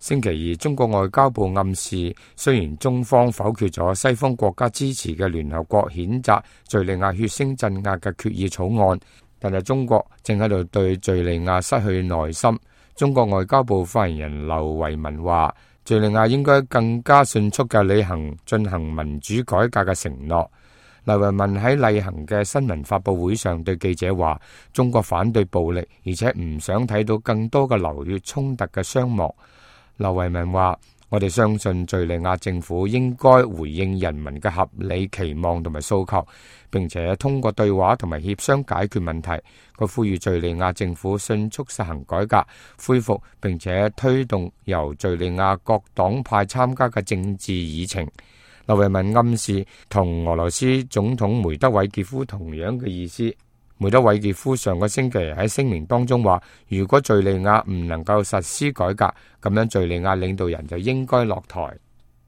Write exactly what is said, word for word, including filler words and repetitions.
星期二，中國外交部暗示，雖然中方否決咗西方國家支持嘅聯合國譴責敘利亞血腥鎮壓嘅決議草案，但係中國正喺度對敘利亞失去耐心。中國外交部發言人劉維文話，敘利亞應該更加迅速嘅履行進行民主改革嘅承諾。劉維文喺例行嘅新聞發佈會上對記者話，中國反對暴力，而且唔想睇到更多嘅流血衝突嘅傷亡。劉維文話，我哋相信敘利亞政府應該回應人民嘅合理期望同埋訴求，並且通過對話同埋協商解決問題。佢呼籲敘利亞政府迅速實行改革，恢復並且推動由敘利亞各黨派參加嘅政治議程。劉維文暗示同俄羅斯總統梅德韋傑夫同樣嘅意思。梅德韋傑夫上個星期喺聲明當中話，如果敘利亞唔能夠實施改革，咁樣敘利亞領導人就應該落台。